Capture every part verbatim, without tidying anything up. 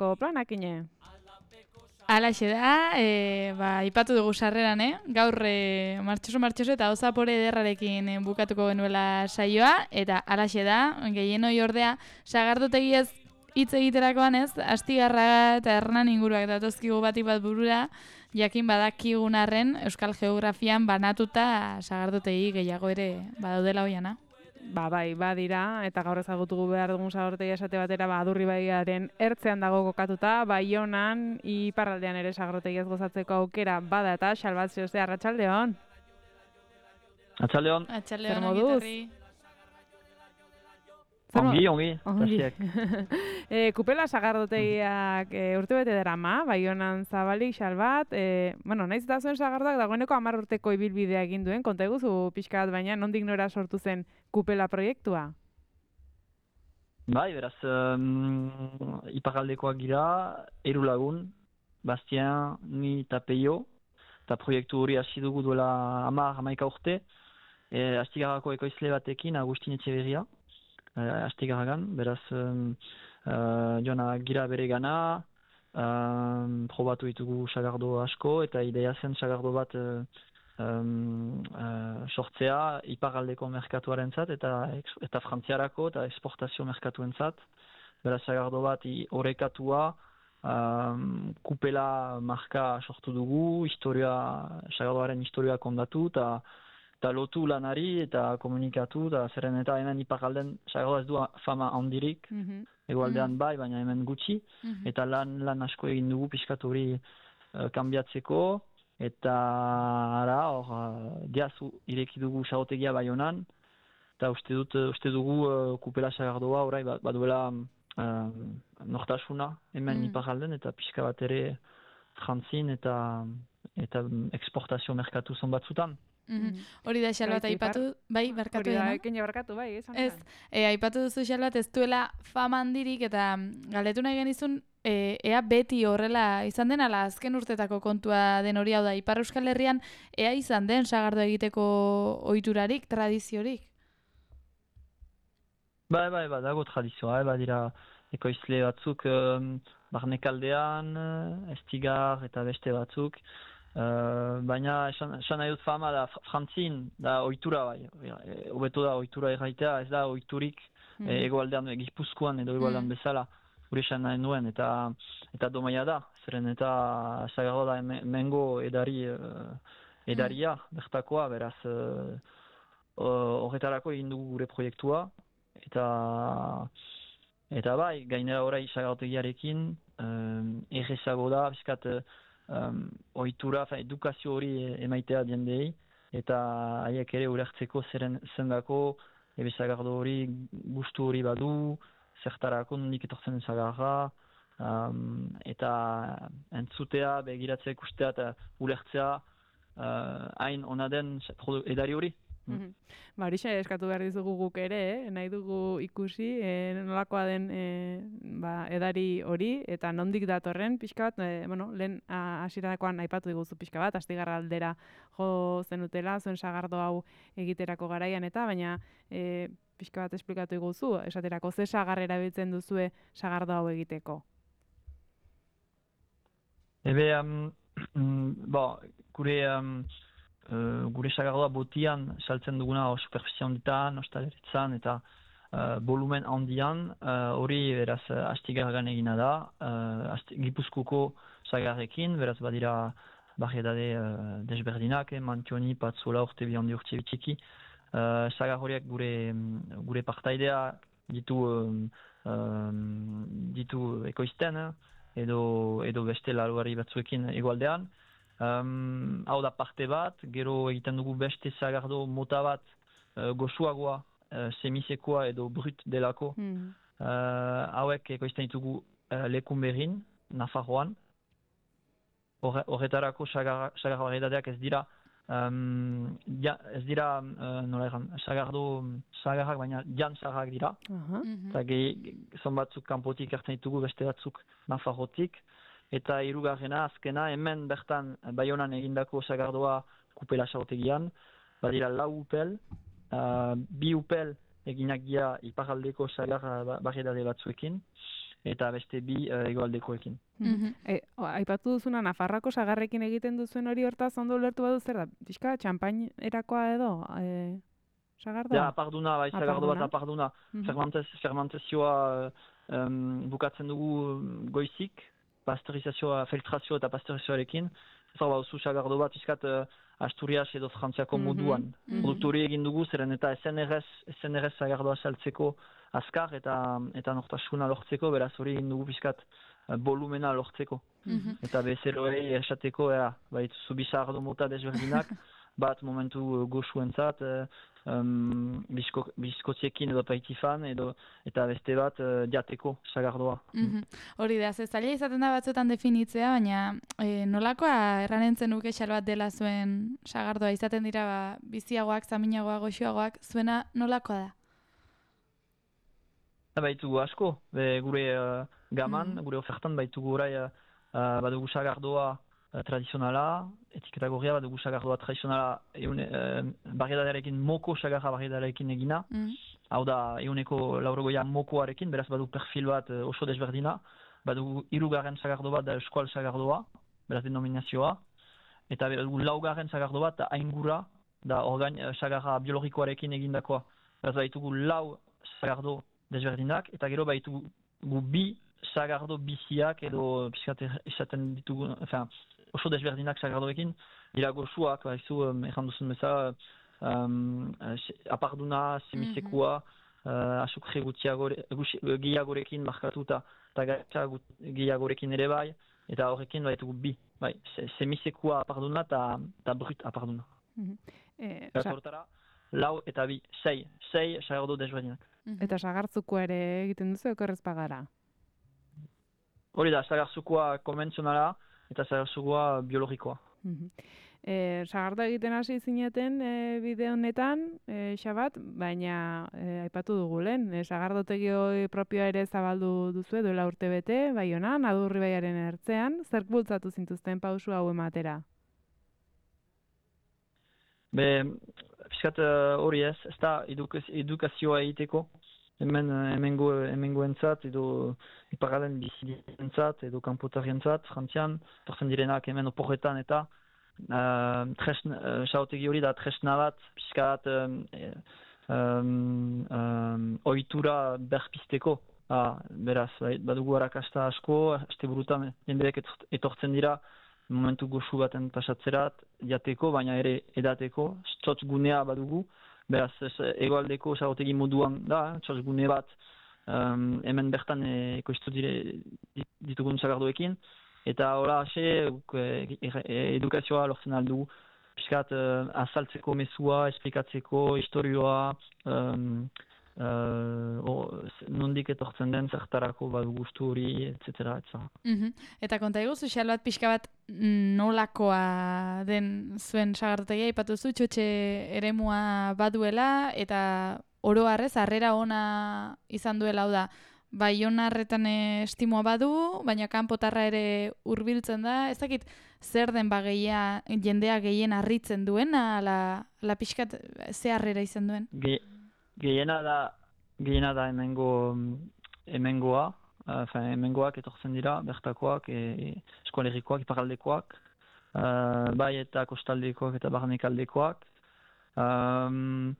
urterako planakine? Halaxe da, e, ba, ipatu dugu sarreran, eh? Gaur e, martxoso-martxoso eta osapore ederrarekin e, bukatuko genuela saioa, eta halaxe da, gehienoi ordea, sagardotegiez hitz egiterakoan ez, Astigarraga eta Hernan inguruak datozkigu batik bat burura, jakin badakigun arren Euskal Geografian banatuta sagardotegi gehiago ere badaudela hoiana. Ba, bai, badira, eta gaur ezagutugu behar dugun sagardotegi esate batera, ba, Adurribaiaren ertzean dago kokatuta, Baionan, iparraldean ere sagardotegiaz gozatzeko aukera bada eta Xalbat Zeoste, arratsaldeon. Arratsaldeon. Arratsaldeon, Zer moduz? Ongi, ongi, Ongi. tasiek. e, kupela sagardotegiak e, urtebete darama, Baionan zabalik, Xalbat, e, bueno, naiz eta zuen sagardoak dagoeneko hamar urteko ibilbidea egin duen, konta eguzu pixka bat, baina nondik nora sortu zen kupela proiektua? Bai, beraz, um, iparaldekoak gira, hiru lagun, Bastien, ni eta Peio, eta proiektu hori hasi dugu duela hamar, hamaika urte, e, Astigarrako ekoizle batekin, Agustin Etxeberria, Uh, Astigarragan, beraz um, uh, joana gira bere gana, um, probatu ditugu sagardo asko, eta ideia zen sagardo bat uh, um, uh, sortzea iparaldeko merkatuaren zat, eta, eta frantziarako eta exportazio merkatuen zat. Beraz sagardo bat horrekatua, um, kupela marka sortu dugu, historia, sagardoaren historia kondatu, eta eta lotu lanari eta komunikatu, eta zerren eta hemen iparalden sagardoa ez du fama handirik, Mm-hmm. egualdean bai, baina hemen gutxi, Mhm. eta lan lan asko egin dugu pixkat hori uh, kanbiatzeko, eta ara, hor, uh, diazu ireki dugu sagotegia Baionan, eta uste dut, uste dugu uh, kupela sagardoa orai bat, baduela um, nortasuna hemen Mm. iparalden, eta pixka bat ere frantzin eta eta exportazio merkatu zon batzutan. Mhm. Hori da Xalbat Bai, aipatu, bai, barkatu Hori da, dena. ekin barkatu, bai, esan Ez, e, aipatu duzu Xalbat ez duela fama handirik eta mm, galdetu nahi genizun e, ea beti horrela izan den, ala azken urtetako kontua den hori, hau da, Ipar Euskal Herrian ea izan den sagardo egiteko ohiturarik, tradiziorik? Bai, bai, bai, dago tradizioa, eh, badira ekoizle batzuk um, barnekaldean, uh, Estigar eta beste batzuk, uh, baina esan, esan nahi dut fama da fr- frantzin, da ohitura bai, e, hobeto da ohitura erraitea, ez da ohiturik Mhm. e, egoaldean, Gipuzkoan edo egoaldean Mm. bezala, gure esan nahi nuen, eta eta domaia da, zeren eta sagardo da hemen- hemengo edari, uh, edaria, bertakoa, beraz, uh, horretarako egin dugu gure proiektua, eta eta bai, gainera orai sagardotegiarekin um, errezago da, bizkat um, ohitura, fa, edukazio hori emaitea jendei, eta haiek ere ulertzeko zeren zendako, ebe sagardo hori gustu hori badu, zertarako nondik etortzen den sagarra, um, eta entzutea, begiratzea ikustea eta ulertzea uh, hain ona den produ- edari hori. Mhm. Ba, horixe eskatu behar dizugu guk ere, eh? Nahi dugu ikusi eh, nolakoa den eh, ba, edari hori, eta nondik datorren pixka bat, eh, bueno, lehen ah, hasierakoan aipatu diguzu pixka bat, Astigarra aldera jo zenutela, zuen sagardo hau egiterako garaian eta, baina eh, pixka bat esplikatu diguzu, esaterako ze sagar erabiltzen duzue sagardo hau egiteko? Ebe, um, bo, gure, um, uh, gure sagardoa botian saltzen duguna o superfizie handitan, ostaleritzan eta uh, volumen handian, uh, hori beraz uh, Astigarragan egina da, uh, asti, Gipuzkoko sagarrekin, beraz badira barriedade uh, desberdinak, eh, Mantioni, Patzola, Urtebi handi, Urtebi txiki, uh, sagar horiek gure, gure partaidea ditu, um, um, ditu ekoizten, eh? edo edo beste laruari batzuekin egoaldean. Um, hau da parte bat, gero egiten dugu beste sagardo mota bat uh, goxuagoa, uh, semisekoa edo brut delako. Hmm. Uh, hauek ekoizten ditugu uh, lekun berrin, Nafarroan. Horre- Horretarako sagar, sagar varietateak ez dira um, ja, ez dira uh, nola egan, sagardo sagarrak, baina jan sagarrak dira. Aha. Mhm. Eta gehi, zon batzuk kanpotik hartzen ditugu, beste batzuk Nafarrotik. Eta hirugarrena azkena, hemen bertan Baionan egindako sagardoa kupela sagotegian. Badira lau upel, uh, bi upel eginak dira iparaldeko sagar uh, variedade batzuekin. eta beste bi uh, hegoaldekoekin. Mhm. E, o, aipatu duzuna Nafarroako sagarrekin egiten duzuen hori hortaz ondo ulertu badu zer da? Pixka txampainerakoa edo e, sagardoa? Ja, aparduna, bai, sagardo bat Aparduna. aparduna. Mhm. Fermentez, fermentazioa um, bukatzen dugu goizik, pasteurizazioa, filtrazio eta pasteurizazioarekin. Ez hau bauzu sagardo bat, iskat uh, Asturias edo Frantziako Mhm. moduan. Mhm. Produktu hori egin dugu, zeren eta S N R S, S N R S sagardoa saltzeko azkar eta eta nortasuna lortzeko, beraz hori egin dugu pixkat uh, volumena lortzeko. Mhm. Eta bezeroei esateko, ea, baituzu bi sagardo mota desberdinak, bat momentu uh, goxuentzat, uh, um, bizko, bizkotiekin edo paitifan, edo, eta beste bat uh, jateko sagardoa. Mhm. Hori da, ze zaila izaten da batzuetan definitzea, baina e, nolakoa erranentzen nuke xal bat dela zuen sagardoa, izaten dira ba, biziagoak, zaminagoak, goxoagoak, zuena nolakoa da? Baitugu asko, be, gure uh, gaman, Mm. gure ofertan baitugu orai uh, uh, badugu sagardoa uh, tradizionala, etiketa gorria badugu sagardoa tradizionala eune, uh, barriadarekin, moko sagarra barriadarekin egina, Mm. hau da euneko laurogoia mokoarekin, beraz badu perfil bat uh, oso desberdina, badugu hirugarren sagardo bat da eskual sagardoa, beraz denominazioa, eta badugu laugarren sagardo bat da aingura, da orgain uh, sagarra biologikoarekin egindakoa. Beraz baitugu lau sagardo desberdinak, eta gero baitugu bi sagardo biziak edo pixkat esaten ditugu, enfin, oso desberdinak sagardoekin, dira goxuak, baizu, um, erran duzun bezala, um, aparduna, semisekua, uh, asukre gehiagorekin markatuta, eta gaitza gehiagorekin ere bai, eta horrekin baitugu bi, bai, semisekua aparduna eta brut aparduna. Mhm. E, Eta sa- hortara, lau eta bi, sei, sei sagardo desberdinak. eta sagartzuko ere egiten duzu okerrez pagara? Hori da, sagarzukoa konbentzionala eta sagarzukoa biologikoa. Mhm. E, sagardo egiten hasi zineten e, bideo honetan, e, Xabat, baina e, aipatu dugu lehen, e, sagardotegi propioa ere zabaldu duzu duela urte bete, Baionan, Adurri baiaren ertzean, zerk bultzatu zintuzten pausu hau ematera? Be, pixkat uh, hori ez, ez da edukaz, edukazioa egiteko, hemen uh, hemengo, hemengoentzat edo iparralen bizientzat edo kanpotarientzat, frantzian, torzen direnak hemen oporretan eta uh, tresn, uh, saotegi hori da tresna bat, pixkat um, um, um, ohitura berpisteko. Ah, beraz, badugu harakasta asko, aste burutan jendeek etortzen dira, momentu goxu baten pasatzerat, jateko, baina ere edateko, txotz gunea badugu, beraz, egoaldeko sagotegi moduan da, txotz gune bat, um, hemen bertan e, ekoiztu dire ditugun sagardoekin, eta hola hase, e, e, edukazioa lortzen aldugu, piskat uh, azaltzeko mesua, esplikatzeko, historioa, um, Uh, o, nondik etortzen den zertarako badu gustu hori, et cetera, et cetera. Mhm. Eta konta iguzu, xal bat pixka bat nolakoa den zuen sagardotegia, aipatu zu, txotxe eremua baduela, eta oro harrez, harrera ona izan duela, hau da, Baionarretan estimoa badu, baina kanpotarra ere hurbiltzen da, ez dakit zer den bageia jendea gehien harritzen duena, ala, ala pixkat ze harrera izan duen? Ge Gehiena da, gehiena da hemengo, hemengoa, uh, hemengoak etortzen dira, bertakoak, e, eskoalerikoak, iparaldekoak, uh, bai eta kostaldekoak eta barnekaldekoak. Um,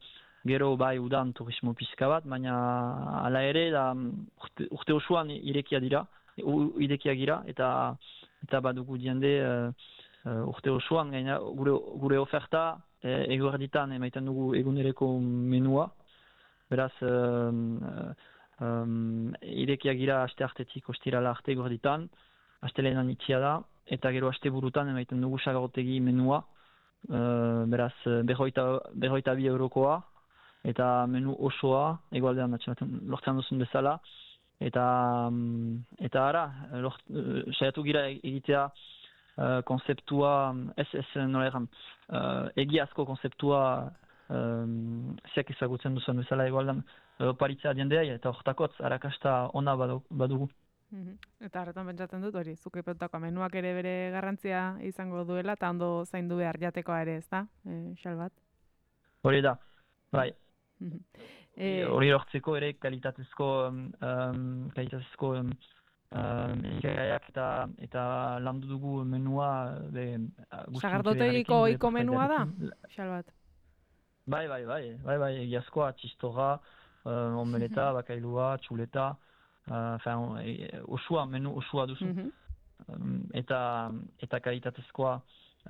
gero bai udan turismo pizka bat, baina hala ere da urte, urte osoan irekia dira, irekia gira, eta eta badugu jende uh, uh, urte osoan gaina, gure, gure oferta e, eguerditan emaiten dugu egunereko menua. Beraz, um, um, irekia gira aste artetik ostirala arte gorditan, aste lehenan itxia da, eta gero aste burutan emaiten dugu sagarotegi menua, uh, beraz, berroita, berroita bi eurokoa, eta menu osoa, egualdean lortzen duzun bezala, eta, um, eta ara, lort, uh, saiatu gira egitea uh, konzeptua, ez, ez nola erran, uh, egiazko konzeptua, Um, ziak ezagutzen duzen bezala egualdan oparitzea diendea eta hortakotz harakasta ona badugu. Mm-hmm. Eta horretan pentsatzen dut hori, zuke peutako menuak ere bere garrantzia izango duela eta ondo zaindu behar jatekoa ere, ez da, e, xal bat? Hori da, bai. Mm-hmm. E, hori lortzeko ere kalitatezko um, um, kalitatezko um, um, elikagaiak eta eta landu dugu menua be, sagardotegiko ohiko menua da, Xalbat? Bai, bai, bai, bai, bai, egiazkoa, txistorra, uh, omeleta, bakailua, txuleta, uh, fin, e, osua, menu osua duzu. Mhm. Um, eta eta kalitatezkoa,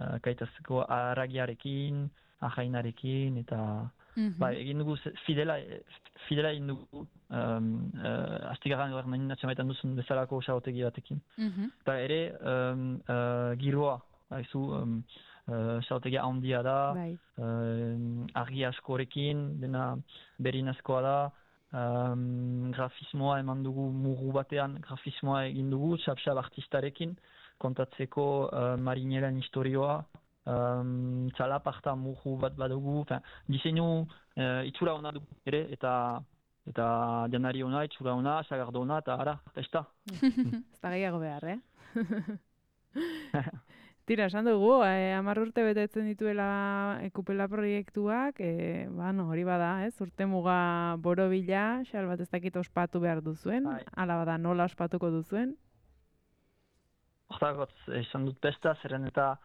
uh, kalitatezkoa aragiarekin, ajainarekin, eta Mhm. bai, egin dugu ze- fidela, eh, fidela egin dugu, um, uh, astigarran gaur nahi natxamaitan duzun bezalako osagotegi batekin. Mhm. Eta ere, um, uh, giroa, haizu, um, uh, xaotegia handia da, Bai. uh, argi askorekin, dena berin askoa da, um, grafismoa eman dugu mugu batean, grafismoa egin dugu, xap-xap artistarekin, kontatzeko uh, marineren historioa, um, txalaparta mugu bat badugu, fin, diseinu uh, itxura ona dugu ere, eta eta janari ona, itxura ona, sagardo ona, eta ara, pesta. Ez da gehiago behar, eh? Tira, esan dugu, eh, hamar urte betetzen dituela ekupela proiektuak, eh, ba, no, hori bada, ez? Urte muga borobila, Xalbat ez dakit ospatu behar duzuen, Bai. ala bada nola ospatuko duzuen. Hortagotz, esan dut pesta, zeren eta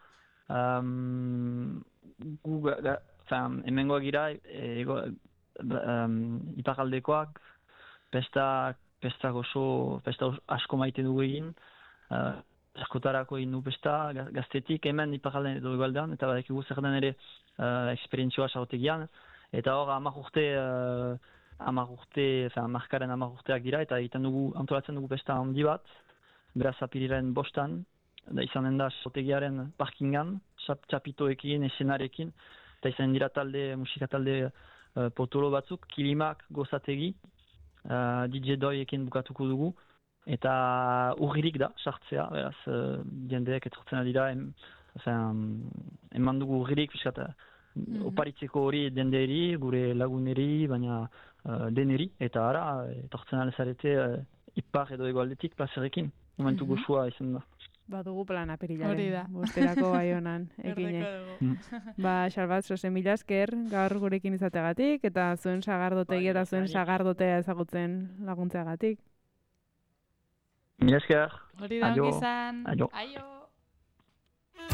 um, gu, ga, ga, fin, hemengoak gira, e, ego, um, iparaldekoak, pesta, pesta gozo, pesta os- asko maite dugu egin, uh, askotarako egin du pesta, ga- gaztetik hemen iparaldean edo egualdean, eta badakigu zer den ere uh, esperientzioa sagotegian, eta hor hamar urte, uh, hamar urte, fin, markaren hamar urteak dira, eta egiten dugu, antolatzen dugu pesta handi bat, beraz apiriren bostan, da izanen da sotegiaren parkingan, txap, txapitoekin, esenarekin, eta izanen dira talde, musika talde uh, potolo batzuk, kilimak gozategi, uh, D J doiekin bukatuko dugu, eta urririk da, sartzea, beraz, uh, jendeek etortzen dira, em, enfin, eman dugu urririk, piskat, Mhm. oparitzeko hori denderi, gure laguneri, baina uh, deneri, eta ara, etortzen alezarete uh, ipar edo egoaldetik plazerekin, momentu Mhm. goxua izan da. Badugu plan Hori apirilaren, da. bosterako baionan, ekine. Berdeko dugu. Ba, Xalbat, zoze mila esker gaur gurekin izateagatik, eta zuen sagardotegi Bai, eta zuen nik- sagardotea ezagutzen laguntzeagatik. Mila esker. Hori da Aio. ongi izan. Aio. Aio.